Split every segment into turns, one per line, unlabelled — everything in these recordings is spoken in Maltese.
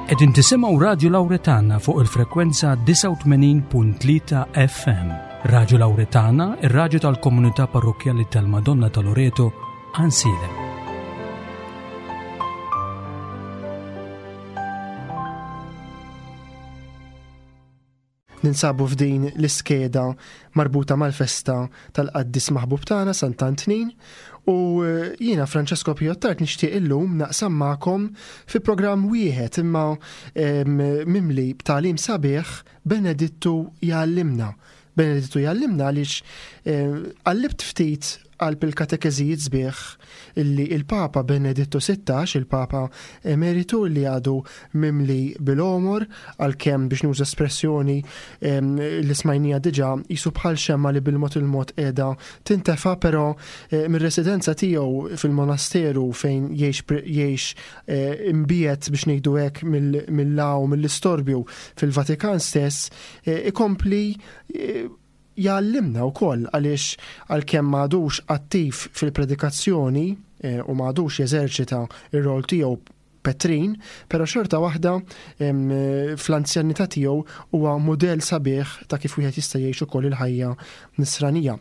Qegħdin tisimgħu Radju Lawretana fuq il-frekwenza 89.3 FM. Radju Lawretana, ir-radju tal-komunità parrokkjali tal-Madonna ta' Loreto, Ansilem.
Ninsabu f'din l-iskeda marbuta mal-festa tal-qaddis maħbub tagħna Sant'Antnin u eh, jiena Francesco Piottart nixtieq illum naqsam magħkom fi programm wieħed imma mimli b'tagħlim sabiħ Benedittu jgħallimna. Benedittu jgħallimna għaliex eh, qallibt ftit qalb il-katekeżijiet sbieħ illi il-Papa Benedittu 16, il-Papa Emeritu li għadu mimli bil-għomor, għalkemm biex nuża espressjoni li smajnija diġà jisu bħal xemma li bil-mod il-mod qiegħda tintefa, però eh, mir-residenza tiegħu fil-monasteru fejn jgħix eh, imbiet biex ngħidu hekk mill-law mill-istorbju fil-Vatikan stess eh, ikompli jgħallimna wkoll għaliex għalkemm m'għadux attiv fil-predikazzjoni eh, u m'għadux jeżerċita r-rol tiegħu Petrin, però xorta waħda fl-anzjanità tiegħu huwa mudell sabiħ ta' kif wieħed jista' jgħix ukoll il-ħajja nisranija.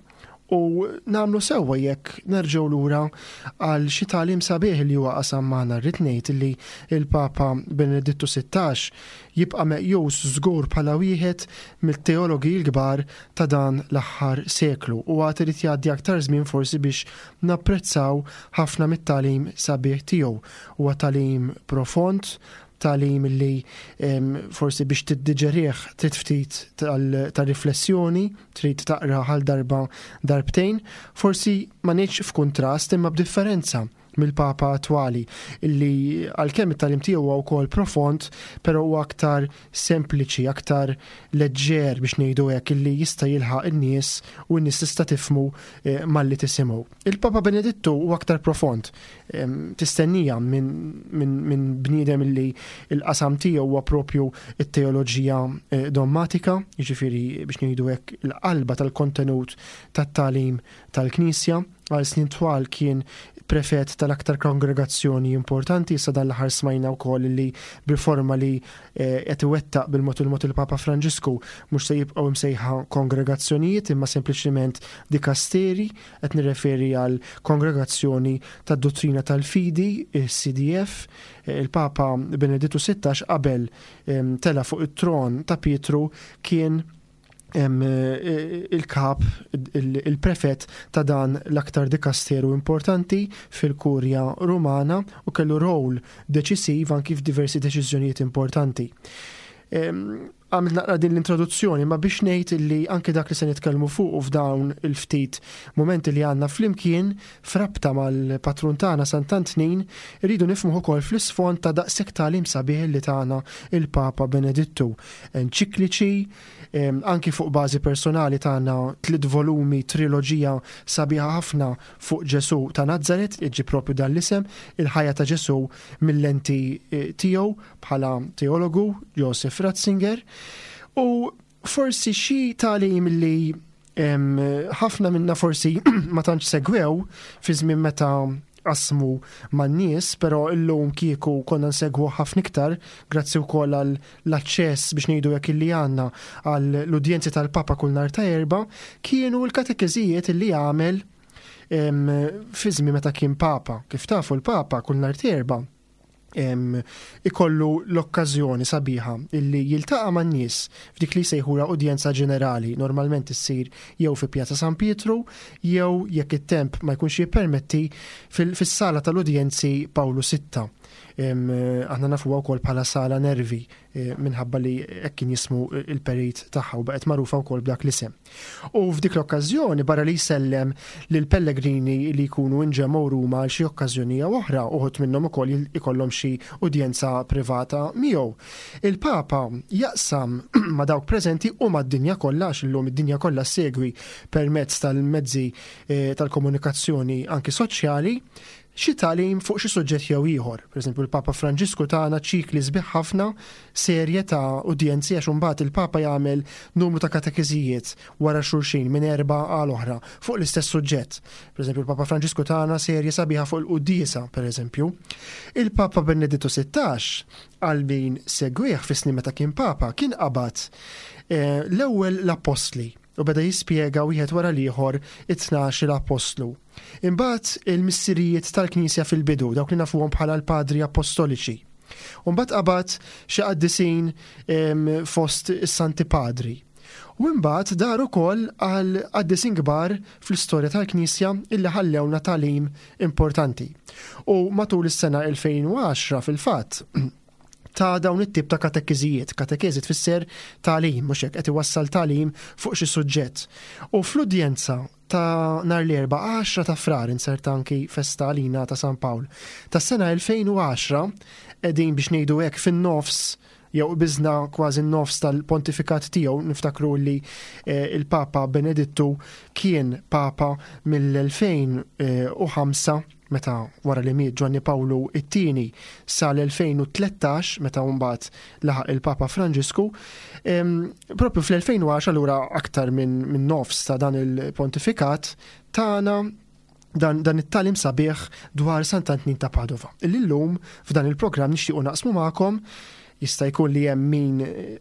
U nagħmlu sewwa jekk nerġgħu lura għal xi tagħlim sabiħ li huwa qasam magħna. Rrid ngħid li l-Papa Benedittu 16 jibqa' meqjus żgur bħala wieħed mit-teologi l-kbar ta' dan l-aħħar seklu u għad irid jgħaddi aktar żmien forsi biex napprezzaw ħafna mit-tagħlim sabiħ tiegħu. Huwa tagħlim profond, tagħlim li forsi biex tiddiġerih trid ftit ta' riflessjoni, trid taqra għal darba darbtejn, forsi ma ngħidx f'kuntrast imma b'differenza mill-Papa attwali illi għalkemm it-tagħlim tiegħu huwa wkoll profond, però huwa aktar sempliċi, aktar leġġer biex ngħidu hekk illi jista' jilħaq in-nies u n-nies tista' tifhmu eh, malli tisimgħu. Il-Papa Benedittu huwa aktar profond, tistennija minn bniedem li l-qasam tiegħu huwa propju it-teoloġija eh, dommatika, jiġifieri biex ngħidu hekk il-qalba tal-kontenut tat-tagħlim tal-Knisja. Għal snin twal kien prefett tal-aktar kongregazzjoni importanti, issa dan l-aħħar smajna wkoll li b'riforma li eh, qed iwettaq bil-mod il-mod il-Papa Franġisku mhux se jibqgħu msejħa kongregazzjonijiet imma sempliċiment dikasteri Qed nirreferi għal Kongregazzjoni tad-Duttrina tal-Fidi, il-CDF. Il-Papa Benedittu 16 qabel tela' fuq it-tron ta' Pietru kien il-kap, il-prefett ta' dan l-aktar dikasteru importanti fil-Kurja Rumana u kellu rol deċisiv anki f'diversi deċiżjonijiet importanti. Għamilt naqra din l-introduzzjoni ma biex ngħid li anke dak li se nitkellmu fuqu f'dawn il-ftit mumenti li għandna flimkien f'rabta mal-patrun tagħna Sant'Antnin irridu nifhmuh ukoll fl-isfond ta' daqshekk tagħlim sabiħ li tana il-Papa Benedittu. Enċikliċi, anki fuq bażi personali tana tliet volumi triloġija sabiħa ħafna fuq Ġesù ta' Nazaret, iġġib propju dan l-isem, il-ħajja ta' Ġesù mill-lenti eh, tiegħu bħala teologu Joseph Ratzinger u forsi xi tagħlim li ħafna minna forsi ma tantx segwew fi żmien meta qasmu man-nies, però illum kieku konna nsegwu ħafna iktar grazzi wkoll għal l-aċċess biex ngħidu hekk illi għandna għal l-udjenzi tal-Papa kull nhar ta' Erbgħa, kienu l-katekeżijiet illi għamel fi żmien meta kien Papa. Kif tafu l-Papa kull nhar ta' Erbgħa ikollu l-okkażjoni sabiħa illi jiltaqa' man-nies f'dik li jsejħulha udjenza ġenerali, normalment issir jew fi Pjazza San Pietru jew jekk it-temp ma jkunx jippermetti fis-sala tal-udjenzi Pawlu Sitta. Aħna nafuha wkoll bħala Sala Nervi eh, minħabba li hekk kien jismu il-perit tagħha u baqgħet magħrufa wkoll b'dak l-isem. U f'dik l-okkażjoni barra li jsellem lil pellegrini li jkunu inġemgħu Ruma għal xi okkażjoni jew oħra, uħud minnhom ukoll ikollhom xi udjenza privata miegħu. Il-Papa jaqsam ma' dawk preżenti u mad-dinja kollha għax illum id-dinja kollha ssegwi permezz tal-mezzi eh, tal-komunikazzjoni anki soċjali. xi tagħlim fuq xi suġġett jew ieħor. Pereżempju l-Papa Franġisku tana ċikli sbieħ ħafna serje ta' udjenzi għax imbagħad il-Papa jagħmel numru ta' katekeżijiet wara xulxin minn Erbgħa għal oħra fuq l-istess suġġett. Pereżempju l-Papa Franġisku tana serje sabiħa fuq il-quddiesa, pereżempju. Il-Papa Benedittu 16 għal min segwih fis-snin meta kien Papa kien qabad eh, l-ewwel l-appostli u beda jispjega wieħed wara l-ieħor it-tnax-il appostlu. Imbagħad il-missirijiet tal-Knisja fil-bidu, dawk li nafuhom bħala l-Padri Appostoliċi. U mbagħad qabad xi qaddisin fost is-Santi Padri. U imbagħad dar ukoll għal qaddisin kbar fl-istorja tal-Knisja illi ħallewna tagħlim importanti. U matul is-sena 2010 fil-fatt ta' dawn it-tip ta' katekiżijiet. Katekeżi tfisser tagħlim, mhux hekk qed iwassal tagħlim fuq xi suġġett. U fl-udjenza ta' nhar l-Erbgħa 10 ta' Frar inserta anki festa għalina ta' San Pawl. Tas-sena 2010 qegħdin biex ngħidu hekk fin-nofs jew qbiżna kważi n-nofs tal-pontifikat tiegħu niftakru li eh, il-Papa Benedittu kien Papa mill-2005 meta wara li miet Ġwanni Pawlu it-Tieni sal-2013 meta mbagħad laħaq il-Papa Franġisku, propju fl-2010 allura aktar minn min nofs ta' dan il-pontifikat tagħna dan, dan it-talim sabiħ dwar Sant'Antnin ta' Padova. Illum f'dan il-programm nixtiequ naqsmu magħkom Jista' jkun li hemm min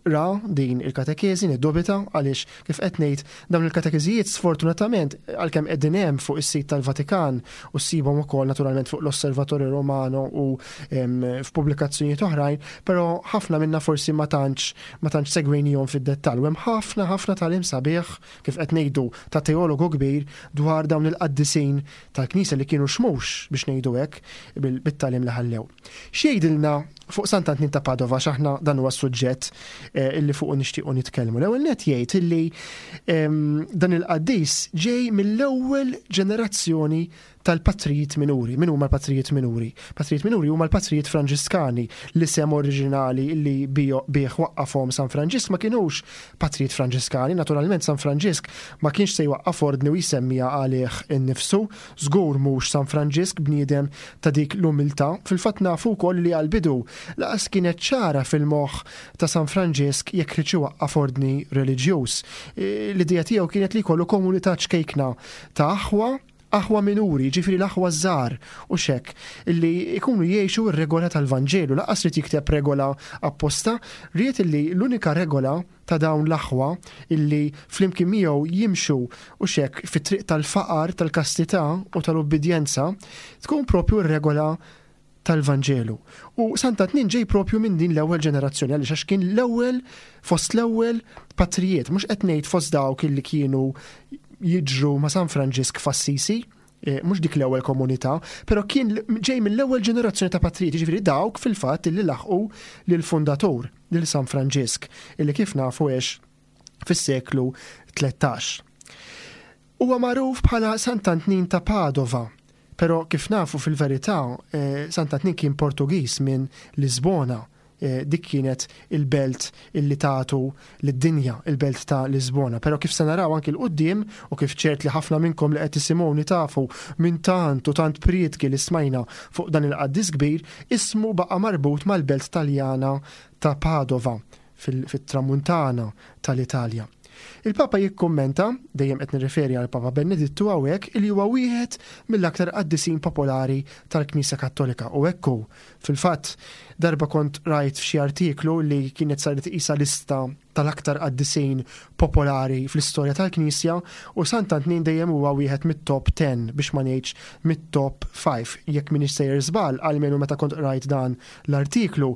ra din il-katekeżi, niddubita, għaliex kif qed ngħid dawn il-katekeżijiet sfortunatament għalkemm qegħdin hemm fuq is-sit tal-Vatikan u ssibhom ukoll naturalment fuq l-Osservatore Romano u f'pubblikazzjonijiet oħrajn, però ħafna minna forsi ma tantx ma tantx segwejnihom fid-dettall. U hemm ħafna ħafna tagħlim sabiħ kif qed ngħidu ta' teologu kbir dwar dawn il-qaddisin tal-Knisja li kienu xmux biex ngħidu hekk bit-tagħlim li ħallew. X'jgħidilna fuq Sant'Antnin ta' Padova għax aħna dan huwa s-suġġett eh, illi fuqu nixtiequ nitkellmu. L-ewwel net jgħid illi ehm, dan il-qaddis ġej mill-ewwel ġenerazzjoni tal-patrijiet minuri. Min huma l-patrijiet minuri? Patrijiet minuri huma l-patrijiet Franġiskani, l-isem oriġinali li bih waqqafhom San Franġisk ma kinux patrijiet Franġiskani. Naturalment San Franġisk ma kienx se jwaqqaf ordni u jsemmiha għalih innifsu. Żgur mhux San Franġisk bniedem ta' dik l-umiltà. Fil-fatt nafu wkoll li għall-bidu laqas kienet ċara fil-moħħ ta' San Franġisk jekk riedx iwaqqaf ordni reliġjuż. L-idea tiegħu kienet li jkollu komunità ċkejkna ta' aħwa, aħwa minuri, jiġifieri l-aħwa ż-żgħar, hux hekk, li jkunu jgħixu r-regola tal-Vanġelu. Laqas ried jikteb regola apposta, ried li l-unika regola ta' dawn l-aħwa illi flimkien miegħu jimxu u xek fit-triq tal-faqar, tal-kastità u tal-ubbidjenza, tkun propju r-regola tal-Vanġelu. U Sant'Antnin ġej propju minn din l-ewwel ġenerazzjoni għaliex għax kien l-ewwel fost l-ewwel patrijiet, mhux qed ngħid fost dawk illi kienu jiġru ma' San Franġisk f'Assisi, eh, mhux dik l-ewwel komunità, però kien ġej mill-ewwel ġenerazzjoni ta' patrijiet, jiġifieri dawk fil-fatt illi laħqu lill-fundatur, lil San Franġisk, illi kif nafu għex fis-seklu 13. Huwa magħruf bħala Sant'Antnin ta' Padova, però kif nafu fil-verità eh, Sant'Antnin kien Portugiż minn Lisbona Eh, dik kienet il-belt illi tagħtu lid-dinja, il-belt ta' Lisbona. Però kif se naraw anki l-qudiem u kif ċert li ħafna minnkom li qed tisimgħuni tafu minn tant u tant prietki li smajna fuq dan il-qaddis kbir, ismu baqa' marbut mal-belt Taljana ta' Padova fit-tramuntana tal-Italja. Il-Papa jikkummenta, dejjem qed nirreferi għal Papa Benedittu hawnhekk, li huwa wieħed mill-aktar qaddisin popolari tal-Knisja Kattolika u hekk hu. Fil-fatt, darba kont rajt f'xi artiklu li kienet saret qisha lista tal-aktar qaddisin popolari fl-istorja tal-Knisja u Sant'Antnin dejjem huwa wieħed mit-top 10 biex ma ngħidx mit-top 5. Jekk m'iniex sejjer żball, almenu meta kont qrajt dan l-artiklu,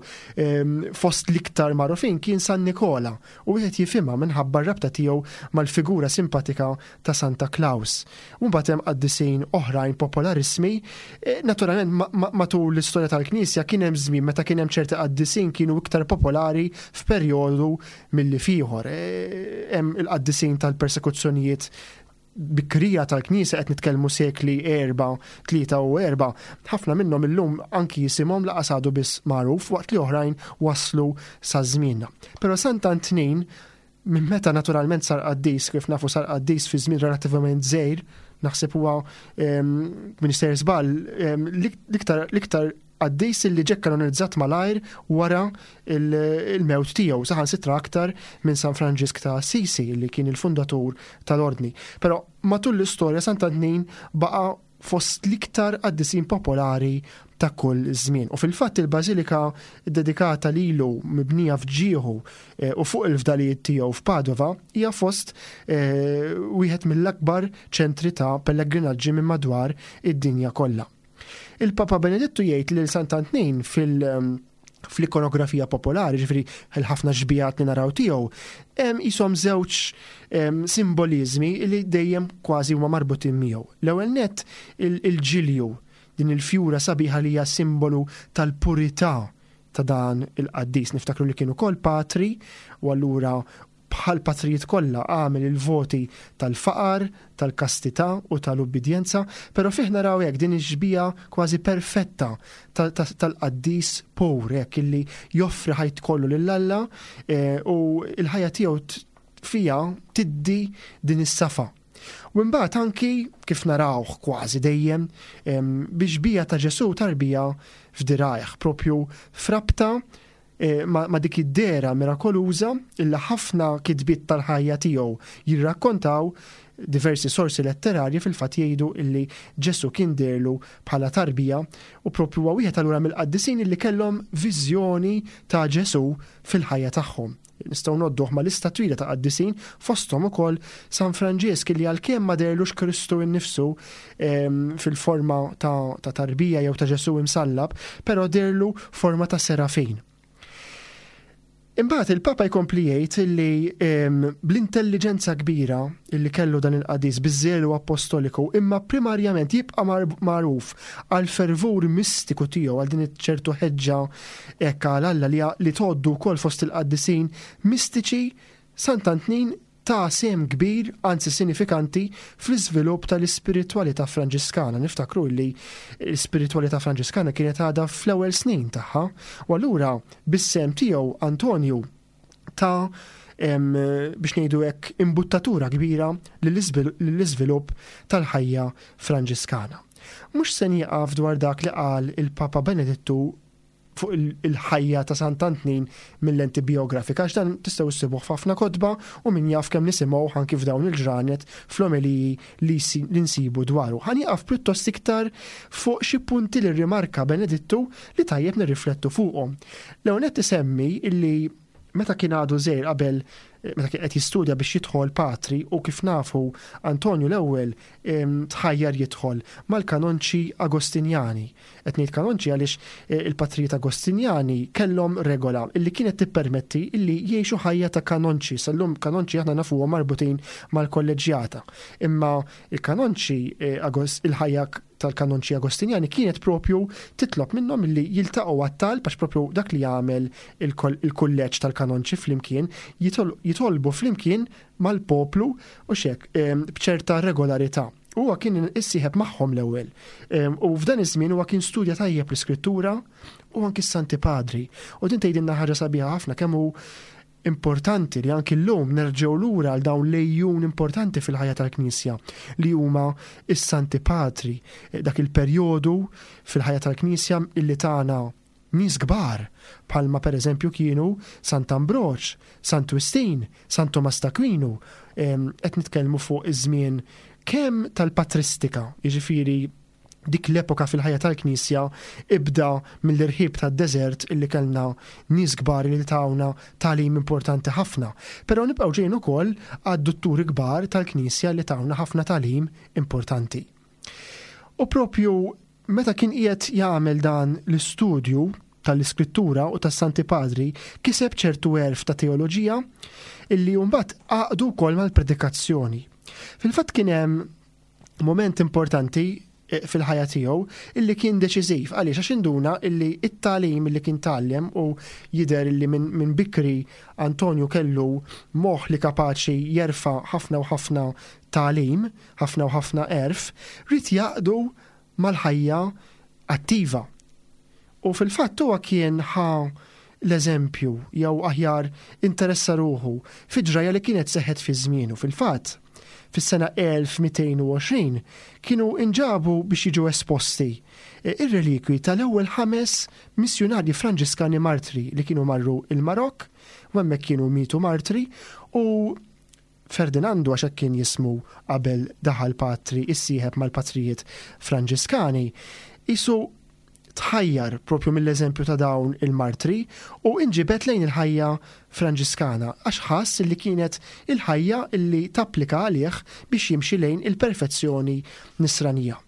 fost l-iktar magħrufin kien San Nikola u wieħed jifhimha minħabba r-rabta tiegħu mal-figura simpatika ta' Santa Claus. U mbagħad hemm qaddisin oħrajn popolarissmi. E, naturalment matul l-istorja tal-Knisja kien hemm żmien meta kien hemm ċerti qaddisin kienu iktar popolari f'perjodu milli f'ieħor. E, hemm il-qaddisin tal-persekuzzjonijiet bikrija tal-Knisja qed nitkellmu sekli 4, 3 u 4, ħafna minnhom illum anki jisimhom laqas għadu biss magħruf waqt li oħrajn waslu sa żmienna. Però Sant'Antnin minn meta naturalment sar qaddis, kif nafu sar qaddis fi żmien relattivament żgħir, Naħseb huwa Minister Żball l-iktar qaddis li ġie kanonizzat malajr wara il-mewt tiegħu, saħansitra aktar minn San Franġisk ta' Assisi li kien il-fundatur tal-ordni. Però matul l-istorja Sant'Antnin baqa' fost l-iktar qaddisin popolari ta' kull żmien. U fil-fatt il-bażilika ddedikata lilu mibnija f'ġieħu eh, u fuq il-fdalijiet tiegħu f'Padova hija fost eh, wieħed mill-akbar ċentri ta' pellegrinaġġi minn madwar id-dinja kollha. Il-Papa Benedittu jgħid lil Sant'Antnin fil- ehm, fl-ikonografija popolari, ġifri l-ħafna xbijat li naraw tiegħu, hemm jisom żewġ ehm, simbolizmi li dejjem kważi huma marbutin miegħu. L-ewwel nett il-ġilju, din il-fjura sabiħa li hija simbolu tal-purità ta' dan il-qaddis. Niftakru li kien ukoll patri u allura bħal patrijiet kollha għamel il-voti tal-faqar, tal-kastità u tal-ubbidjenza, però fih naraw hekk din ix-xbieha kważi perfetta tal-qaddis pur hekk illi joffri ħajt kollu lil Alla eh, u l-ħajja tiegħu fija tiddi din is-safa. U mbagħad anki kif narawh kważi dejjem biex bija ta' Ġesu tarbija f'dirajh, propju frabta Eh, ma' dik id-dehra mirakoluża illi ħafna kitbiet tal-ħajja tiegħu jirrakkontaw, diversi sorsi letterarji fil-fatt jgħidu illi Ġesù kien deherlu bħala tarbija u propju huwa wieħed allura mill-qaddisin illi kellhom viżjoni ta' Ġesù fil-ħajja tagħhom. Nistgħu ngħodduh ma' lista twila ta' qaddisin fosthom ukoll San Franġisk illi għalkemm ma deherlux Kristu innifsu ehm, fil-forma ta', ta tarbija jew ta' Ġesù imsallab, però deherlu forma ta' serafin. Imbagħad il-Papa jkompli jgħid li ehm, bl-intelliġenza kbira illi kellu dan il-qadis biż-żelu appostoliku imma primarjament jibqa' magħruf għal fervur mistiku tiegħu għal din ċertu ħeġġa hekk għal Alla li, li tgħoddu wkoll fost il-qaddisin mistiċi Sant'Antnin ta sehem kbir, anzi sinifikanti, fl-iżvilupp tal-ispiritwalità Franġiskana. Niftakru li l-ispiritwalità Franġiskana kienet għadha fl-ewwel snin tagħha, u allura bis-sehem tiegħu Antonju ta biex ngħidu hekk imbuttatura kbira lill-iżvilupp tal-ħajja Franġiskana. Mhux se nieqaf dwar dak li qal il-Papa Benedittu fuq il-ħajja ta' Sant'Antnin mil-lenti bijografika għax dan tistgħu issibuh f'ħafna kotba u min jaf kemm nisimgħuh anki f'dawn il-ġranet fl-omeliji li nsibu dwaru. Ħa nieqaf pjuttost iktar fuq xi punti li rrimarka Benedittu li tajjeb nirriflettu fuqhom. L-ewwel nett isemmi illi meta kien għadu żgħir qabel meta kien qed jistudja biex jidħol patri u kif nafu Antonju l-ewwel tħajjar jidħol mal-kanonċi Agostinjani. Qed ngħid kanonċi għaliex eh, il-patrijiet Agostinjani kellhom regola illi kienet tippermetti illi jgħixu ħajja ta' kanonċi. Sal-lum kanonċi aħna nafuhom marbutin mal-kolleġġjata. Imma il-kanonċi eh, il-ħajja tal-kanonċi Agostinjani kienet propju titlob minnhom illi jiltaqgħu għat-talb għax propju dak li jagħmel il-kulleġġ tal-kanonċi flimkien jitolbu flimkien mal-poplu u xek b'ċerta regolarità. Huwa kien issieħeb magħhom l-ewwel. U f'dan iż-żmien huwa kien studja tajjeb l-iskrittura u anki s-Santi Padri. U din tgħidilna ħaġa sabiħa ħafna kemm hu importanti li anki llum nerġgħu lura għal dawn l-ejjun importanti fil-ħajja tal-Knisja li huma s-Santi Patri, dak il-perjodu fil-ħajja tal-Knisja illi tagħna nies kbar bħalma pereżempju kienu Sant'Ambroġ, Sant'Wistin, San Tumas t'Akwinu, qed nitkellmu fuq iż-żmien kemm tal-patristika, jiġifieri dik l-epoka fil-ħajja tal-Knisja ibda mill-irħib tad-deżert illi kellna nies kbar li tawna tagħlim importanti ħafna. Però nibqgħu ġejjin ukoll għad-dutturi kbar tal-Knisja li tawna ħafna tagħlim importanti. U propju meta kien qiegħed jagħmel dan l-istudju tal-Iskrittura u tas-Santi Padri, kiseb ċertu għerf ta' teoloġija illi mbagħad għaqdu wkoll mal-predikazzjoni. Fil-fatt kien hemm moment importanti eh, fil-ħajja tiegħu illi kien deċiżiv għaliex għax induna illi it-tagħlim illi kien tgħallem u jidher illi minn min bikri Antonju kellu moħħ li kapaċi jerfa' ħafna u ħafna tagħlim, ħafna u ħafna għerf, ried jgħaqqdu mal-ħajja attiva. U fil-fatt huwa kien ħa l-eżempju jew aħjar interessa ruħu fi ġrajja li kienet seħħet fi żmienu. Fil-fatt, Fis-sena 1220 kienu inġabu biex jiġu esposti ir-relikwi tal-ewwel ħames missjunarji Franġiskani martri li kienu marru il-Marokk u hemmhekk kienu mietu martri u Ferdinandu għax hekk kien jismu qabel daħal patri issieħeb mal-patrijiet Franġiskani, qisu tħajjar propju mill-eżempju ta' dawn il-martri u inġibed lejn il-ħajja Franġiskana għax ħass li kienet il-ħajja li tapplika għalih biex jimxi lejn il-perfezzjoni nisranija.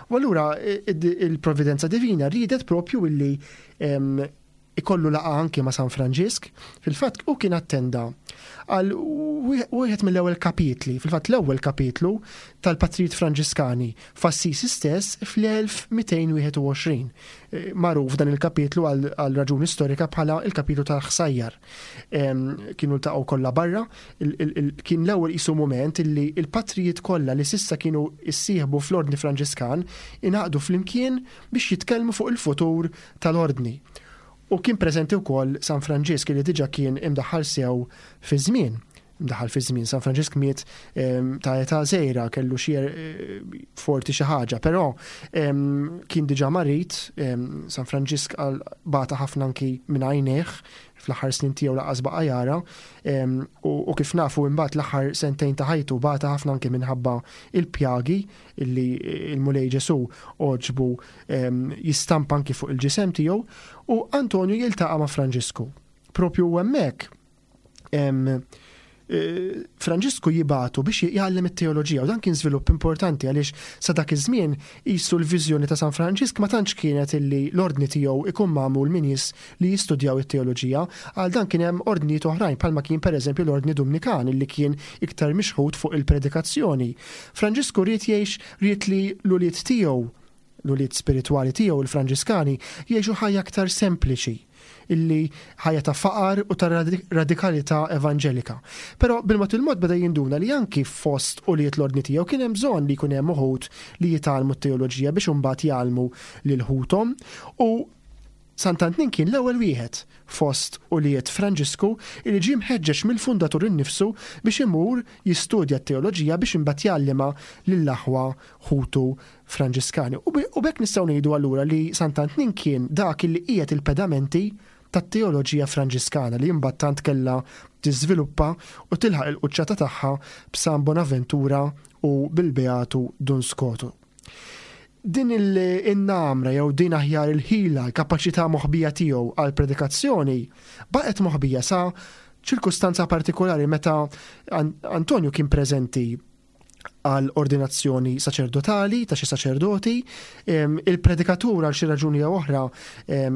U allura il-Provvidenza Divina riedet propju illi ikollu laqgħa anki ma' San Franġisk. Fil-fatt hu kien attenda għal wieħed mill-ewwel kapitli, fil-fatt l-ewwel kapitlu tal-Patrijiet Franġiskani f'Assisi stess fl-1221. Eh, magħruf dan il-kapitlu għal raġuni storika bħala il-kapitlu tal-ħsajjar. Kienu ltaqgħu kollha barra, kien l-ewwel qisu mument illi il-patrijiet kollha li sissa kienu issieħbu fl-Ordni Franġiskan ingħaqdu flimkien biex jitkellmu fuq il-futur tal-Ordni. U kien preżenti wkoll San Franġisk li diġà kien imdaħħal sew fiż-żmien. Imdaħħal fiż-żmien. San Franġisk miet ehm, ta' età żgħira, kellu xi eh, forti xi ħaġa, però ehm, kien diġà marid, ehm, San Franġisk bata ħafna anki minn għajnejh fl-aħħar snin tiegħu laqas baqa' jara u kif nafu imbagħad l-aħħar sentejn ta' ħajtu bata ħafna anki minħabba il-pjagi illi il-Mulej Ġesu għoġbu jistampa anki fuq il-ġisem tiegħu u Antonju jiltaqa' ma' Franġisku. Propju hemmhekk eh, Franġisku jibatu biex jgħallem it-teoloġija u dan kien żvilupp importanti għaliex sa dak iż-żmien qisu l-viżjoni ta' San Franġisk ma tantx kienet illi l-ordni tiegħu ikun magħmul minn nies li jistudjaw it-teoloġija. Għal dan kien hemm ordnijiet oħrajn bħalma kien pereżempju l-ordni Dumnikan illi kien iktar mixħut fuq il-predikazzjoni. Franġisku ried jgħix ried li l-ulied tiegħu l-ulied spiritwali tiegħu il-Franġiskani jgħixu ħajja aktar sempliċi, illi ħajja ta' faqar u ta' radikalità evanġelika. Però bil-mod il-mod beda jinduna li anki fost ulied l-ordni tiegħu kien hemm bżonn li jkun hemm uħud li jitgħallmu t-teoloġija biex imbagħad jgħallmu lil ħuthom u Sant'Antnin kien l-ewwel wieħed fost ulied Franġisku li ġie mħeġġeġ mill-fundatur innifsu biex imur jistudja t-teoloġija biex imbagħad jgħallimha lill-aħwa ħutu Franġiskani. U b'hekk nistgħu ngħidu allura li Sant'Antnin kien dak li qiegħed il-pedamenti tat-teoloġija Franġiskana li imbagħad tant kellha tiżviluppa u tilħaq il-quċċata tagħha b'San Bonaventura u bil-Beatu Dun Skotu. Din in-namra jew din aħjar il-ħila, l-kapaċità moħbija tiegħu għall-predikazzjoni baqgħet moħbija sa ċirkustanza partikolari meta Antonju kien preżenti għal ordinazzjoni saċerdotali ta' xi saċerdoti, il-predikatur għal xi raġuni jew oħra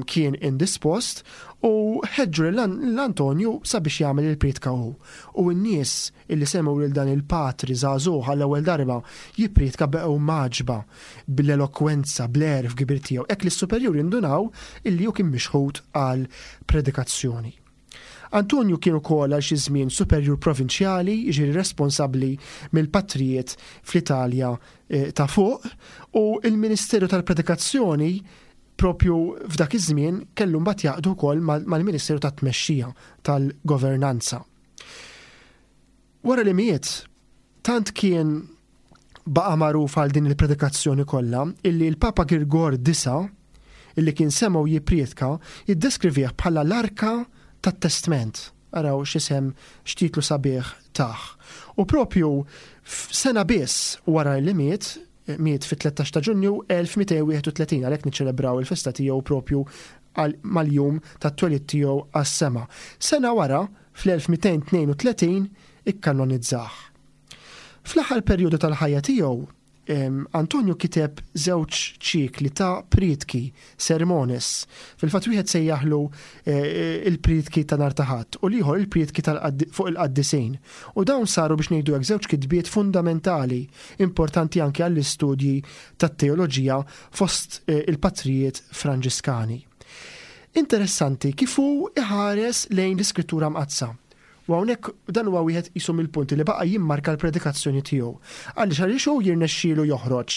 kien indispost u ħeġġu lil Antonju sabiex jagħmel il-prietka hu. U n-nies illi semgħu lil dan il-patri żagħżugħ għall-ewwel darba jipprietka baqgħu mgħaġġba bl-elokwenza, bl-għerf kbir tiegħu, hekk li s-superjuri ndunaw illi hu kien mixħut għall-predikazzjoni. Antonju kien ukoll għal xi żmien superjur provinċjali, jiġifieri responsabbli mill-patrijiet fl-Italja eh, ta' fuq, u l-ministeru tal-predikazzjoni propju f'dak iż-żmien kellu mbagħad jaqdu wkoll mal-Ministeru tat-Tmexxija tal-Governanza. Wara li miet, tant kien baqa' magħruf għal din il-predikazzjoni kollha illi l-Papa Girgor disa' illi kien semgħu jipprietka jiddeskrivih bħala l-arka tat-testment. Araw x'isem x'titlu sabiħ tah. U propju sena biss wara li miet, miet fit-13 ta' Ġunju 1231 għalhekk niċċelebraw il-festa tiegħu propju mal-jum tat-twelid tiegħu għas-sema. Sena wara, fl-1232 ikkanonizzah. Fl-aħħar perjodu tal-ħajja tiegħu, Antonju kiteb żewġ ċikli ta' prietki, sermones. Fil-fatt wieħed sejjaħlu eh, il-prietki ta' nhar ta' Ħadd u l-ieħor il-prietki fuq il-qaddisin. U dawn saru biex ngħidu hekk żewġ kitbiet fundamentali, importanti anke għall-istudji tat-teoloġija fost eh, il-patrijiet Franġiskani. Interessanti kif hu iħares lejn l-Iskrittura Mqaddsa. U hawnhekk dan huwa wieħed qisu mill-punti li baqa' jimmarka l-predikazzjoni tiegħu. Għaliex għaliex hu jirnexxielu joħroġ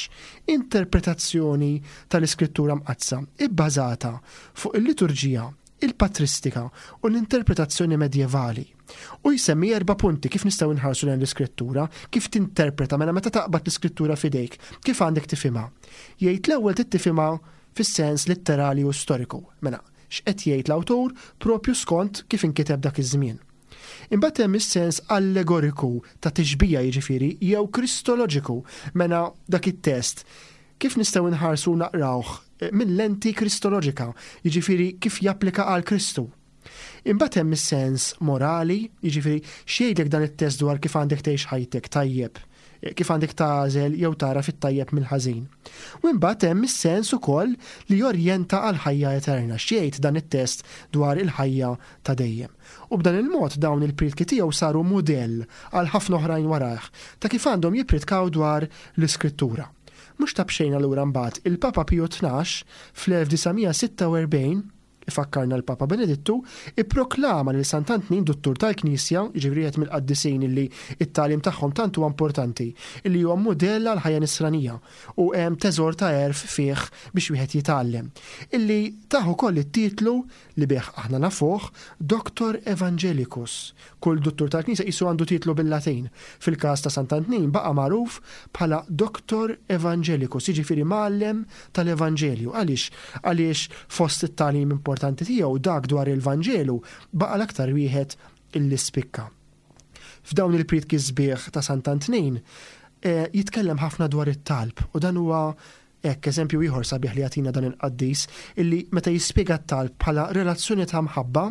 interpretazzjoni tal-Iskrittura Mqaddsa ibbażata fuq il-liturġija, il-patristika u l-interpretazzjoni medjevali. U jsemmi erba' punti kif nistgħu nħarsu lejn l-Iskrittura, kif tinterpreta mela meta taqbad l-Iskrittura f'idejk, kif għandek tifhimha. Jgħid l-ewwel trid tifhimha fis-sens litterali u storiku. Mela, x'qed jgħid l-awtur propju skont kif inkiteb dak iż-żmien. Imbagħad hemm is-sens allegoriku ta' tixbija jiġifieri jew kristoloġiku, mela dak it-test kif nistgħu nħarsu naqrawh eh, minn lenti kristoloġika, jiġifieri kif japplika għal Kristu. Imbagħad hemm is-sens morali, jiġifieri x'jgħidlek dan it-test dwar kif għandek tgħix ħajtek tajjeb, kif għandek tagħżel jew tara fit-tajjeb mill-ħażin. U imbagħad hemm is-sens ukoll li jorjenta għal ħajja eterna, x'jgħid dan it-test dwar il-ħajja ta' dejjem. U b'dan il-mod dawn il-prietki tiegħu saru mudell għal ħafna oħrajn warajh ta' kif għandhom jippritkaw dwar l-Iskrittura. Mhux ta' b'xejn allura mbagħad il-Papa Piju 12 fl-1946 Ifakkarna l-Papa Benedittu, ipproklama lil Sant'Antnin Duttur tal-Knisja, jiġifieri wieħed mill-qaddisin illi t-tagħlim tagħhom tant huwa importanti, illi huwa mudell għall-ħajja nisranija u hemm teżor ta' għerf fih biex wieħed jitgħallem, illi tah ukoll it-titlu li bih aħna nafuh, Doctor Evangelicus. Kull duttur tal-Knisja qisu għandu titlu bil-Latin. Fil-każ ta' Sant'Antnin baqa' magħruf bħala Doctor Evangelicus, jiġifieri mgħallem tal-Evanġelju. Għaliex? Għaliex fost it-tagħlim importanti tiegħu dak dwar il-Vanġelu baqa' l-aktar wieħed illi spikka. F'dawn il-prietki sbieħ ta' Sant'Antnin eh, jitkellem ħafna dwar it-talb u dan huwa Hekk, eżempju ieħor sabiħ li jagħtina dan il-qaddis, illi meta jispjega t-talb bħala relazzjoni ta' mħabba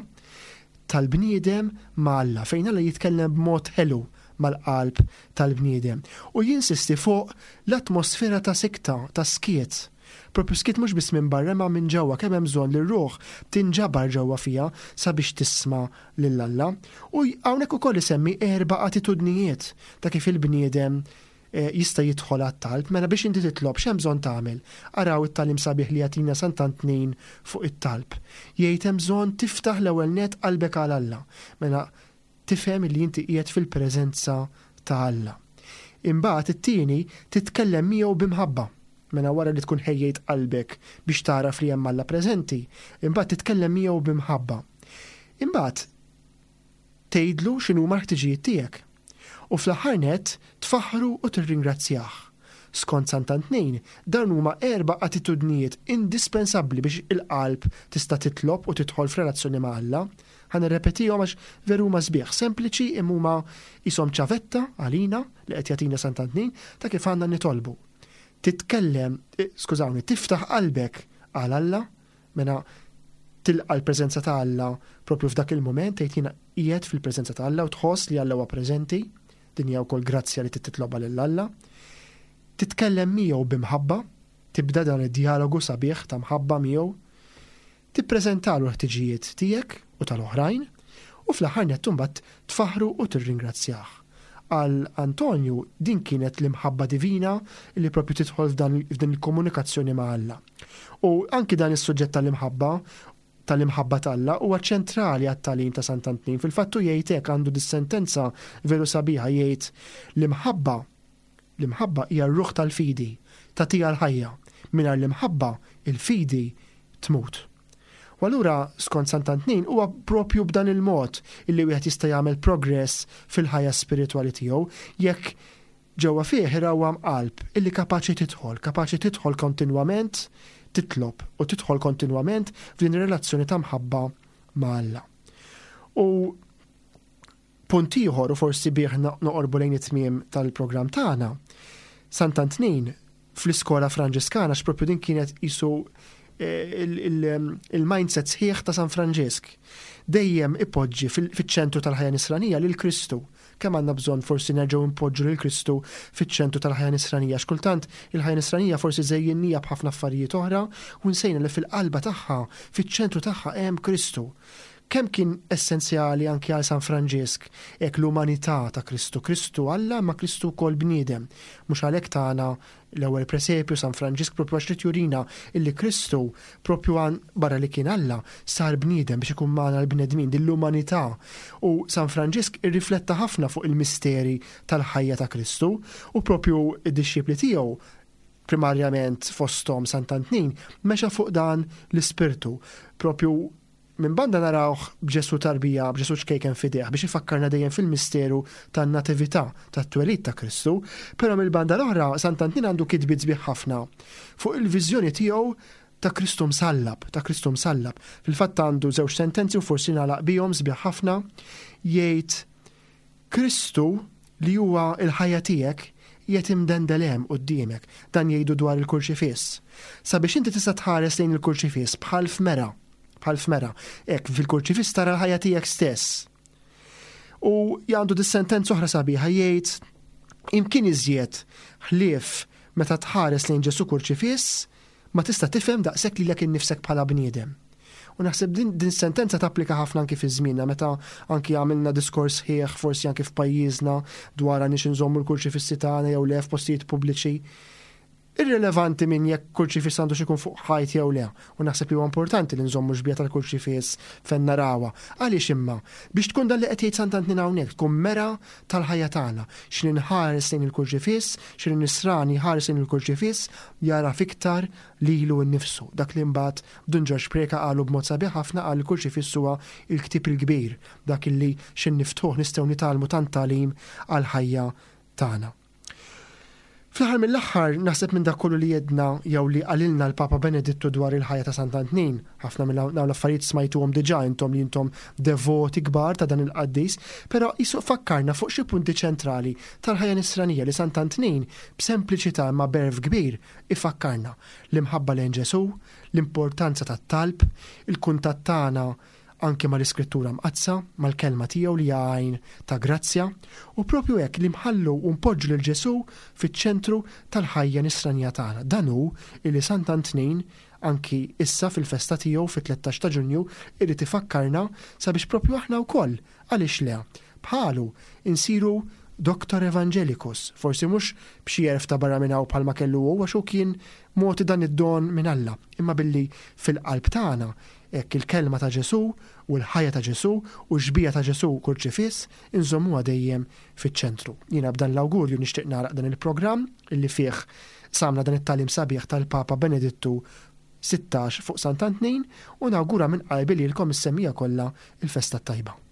tal-bniedem ma' Alla, fejn Alla jitkellem b'mod ħelu mal-qalb tal-bniedem u jinsisti fuq l-atmosfera ta' sikta, ta' skiet. Propju skiet mhux biss minn barra imma minn ġewwa, kemm hemm bżonn li r-ruħ tinġabar ġewwa fiha sabiex tisma' lil Alla. U hawnhekk ukoll isemmi erba' attitudnijiet ta' kif il-bniedem jista' jidħol għat-talb, mela biex inti titlob x'hemm bżonn tagħmel? Araw it-tagħlim sabiħ li jagħtina Sant'Antnin fuq it-talb. Jgħid hemm bżonn tiftaħ l-ewwel nett qalbek għal Alla. Mela tifhem li inti qiegħed fil-preżenza ta' Alla. Imbagħad it-tieni titkellem miegħu bi mħabba. Mela wara li tkun ħejjejt qalbek biex tagħraf li hemm Alla preżenti, imbagħad titkellem miegħu bi mħabba. Imbagħad tgħidlu x'inhuma l-ħtiġijiet tiegħek. U fl-aħħar nett, tfaħħru u tirringrazzjah. Skont Sant'Antnin, dawn huma erba' attitudnijiet indispensabbli biex il-qalb tista' titlob u tidħol f'relazzjoni ma' Alla. Ħa nirrepetihom għax veru huma sbieħ, sempliċi imma huma qishom ċavetta għalina li qed jagħtina Sant'Antnin ta' kif għandna nitolbu. Titkellem, eh, skużawni, tiftaħ qalbek għal Alla, Mela tilqa' l-preżenza ta' Alla propju f'dak il-mument tgħid jiena qiegħed fil-preżenza ta' Alla u tħoss li Alla huwa preżenti, din hija wkoll grazzja li titlobha lil Alla. Titkellem miegħu b'imħabba, tibda dan id-djalogu sabiħ ta' mħabba miegħu. Tippreżentalu l-ħtiġijiet tiegħek u tal-oħrajn u fl-aħħar nett imbagħad tfaħħru u tirringrazzjah. Għal Antonju din kienet l-imħabba divina li propju tidħol f'din il-komunikazzjoni ma' Alla. U anki dan is-suġġett tal-imħabba tal-imħabba t'Alla huwa ċentrali għat-tagħlim ta' Sant'Antnin. Fil-fatt hu jgħid hekk għandu dis-sentenza veru sabiħa jgħid l-imħabba l-imħabba hija r-ruħ tal-fidi, tagħtiha l-ħajja. Mingħajr l-imħabba il-fidi tmut. U allura skont Sant'Antnin huwa propju b'dan il-mod illi wieħed jista' jagħmel progress fil-ħajja spiritwali tiegħu jekk Ġewwa fih irawwam qalb illi kapaċi tidħol, kapaċi tidħol kontinwament titlob u tidħol kontinwament f'din ir-relazzjoni ta' mħabba ma' Alla. U punt ieħor u forsi bih noqorbu lejn it-tmiem tal-programm tagħna, Sant'Antnin fl-iskola Franġiskana x'propju din kienet qisu eh, il-mindset sħiħ ta' San Franġisk. Dejjem ipoġġi fiċ-ċentru tal-ħajja nisranija lil Kristu. Kemm għandna bżonn forsi nerġgħu npoġġu lil Kristu fiċ-ċentru tal-ħajja nisranija għax kultant il-ħajja nisranija forsi żejjinnija b'ħafna affarijiet oħra u nsejna li fil-qalba tagħha, fiċ-ċentru tagħha hemm Kristu. Kemm kien essenzjali anki għal San Franġisk hekk l-umanità ta' Kristu, Kristu Alla imma Kristu wkoll bniedem. Mhux għalhekk tana l-ewwel presepju San Franġisk propju għax ried jurina illi Kristu propju għan barra li kien Alla sar bniedem biex ikun magħna l-bnedmin, din l-umanità. U San Franġisk irrifletta ħafna fuq il-misteri tal-ħajja ta' Kristu u propju d-dixxipli tiegħu primarjament fosthom Sant'Antnin mexa fuq dan l-ispirtu. Propju. Minn banda narawh b'Ġesù tarbija, b'Ġesù ċkejken f'idejh biex ifakkarna dejjem fil-misteru tan-Natività, tat-twelid ta' Kristu, però mill-banda l-oħra Sant'Antnin għandu kitbiet sbieħ ħafna fuq il-viżjoni tiegħu ta' Kristu msallab, ta' Kristu msallab. Fil-fatt għandu żewġ sentenzi u forsi nagħlaq bihom sbieħ ħafna, jgħid Kristu li huwa l-ħajja tiegħek qiegħed imdendel hemm quddiemek, dan jgħidu dwar il-kurċifiss. Sabiex inti tista' tħares lejn il-kurċifiss bħal f'mera, bħal f'mera, hekk fil-kurċifiss tara l-ħajja tiegħek stess. U għandu dis-sentenza oħra sabiħa jgħid imkien iżjed ħlief meta tħares lejn Ġesù kurċifiss ma tista' tifhem daqshekk lilek innifsek bħala bniedem. U naħseb din, din sentenza tapplika ħafna anki fi żmienna meta anki għamilna diskors ħieħ forsi anki f'pajjiżna dwar għandniex inżommu l-kurċifissi tagħna jew le f'postijiet pubbliċi. Irrilevanti minn jekk kurċifiss għandux ikun fuq ħajt jew le, u naħseb li huwa importanti li nżommu xbieha tal-kurċifiss fejn narawha. Għaliex imma? Biex tkun dan li qed jgħid Sant'Antnin hawnhekk, tkun mera tal-ħajja tagħna. X'li nħares lejn il-kurċifiss, x'li nisrani jħares lejn il-kurċifiss, jagħraf iktar lilu nnifsu. Dak li mbagħad Dun Ġorġ Preca qalu b'mod sabiħ ħafna qal il-kurċifiss huwa l-ktieb il-kbir, dak illi x'in niftħuh nistgħu nitgħallmu tant tagħlim għall-ħajja tagħna. Fl-aħħar mill-aħħar, naħseb minn dak kollu li għedna jew li qalilna l-Papa Benedittu dwar il-ħajja ta' Sant'Antnin, ħafna minn dawn l-affarijiet smajtuhom diġà intom li intom devoti kbar ta' dan il-qaddis, però qisu fakkarna fuq xi punti ċentrali tal-ħajja nisranija li Sant'Antnin, b'sempliċità imma b'għerf kbir, ifakkarna, l-imħabba lejn Ġesù, l-importanza tat-talb, il-kuntatt tagħna anki mal-Iskrittura Mqaddsa, mal-Kelma tiegħu li hija għajn ta' grazzja, u propju hekk li nħallu u npoġġu lil Ġesù fiċ-ċentru tal-ħajja nisranija tagħna. Dan hu illi Sant'Antnin, anki issa fil-festa tiegħu fit-13 ta' Ġunju, irid ifakkarna sabiex propju aħna wkoll, għaliex le, bħalu, insiru Doctor Evangelicus, forsi mhux b'xi għerf ta' barra minn hawn bħalma kellu hu għax hu kien mogħti dan id-don minn Alla, imma billi fil-qalb tagħna Hekk il-kelma ta' Ġesù u l-ħajja ta' Ġesù u x-xbieha ta' Ġesù kurċifiss inżommuha dejjem fiċ-ċentru. Jiena b'dan l-awgurju nixtieq nagħlaq dan il-programm illi fih qsamna dan it-tagħlim sabiħ tal-Papa Benedittu 16 fuq Sant'Antnin u nawgura minn qalbi lilkom is-semmiegħa kollha l-festa t-tajba.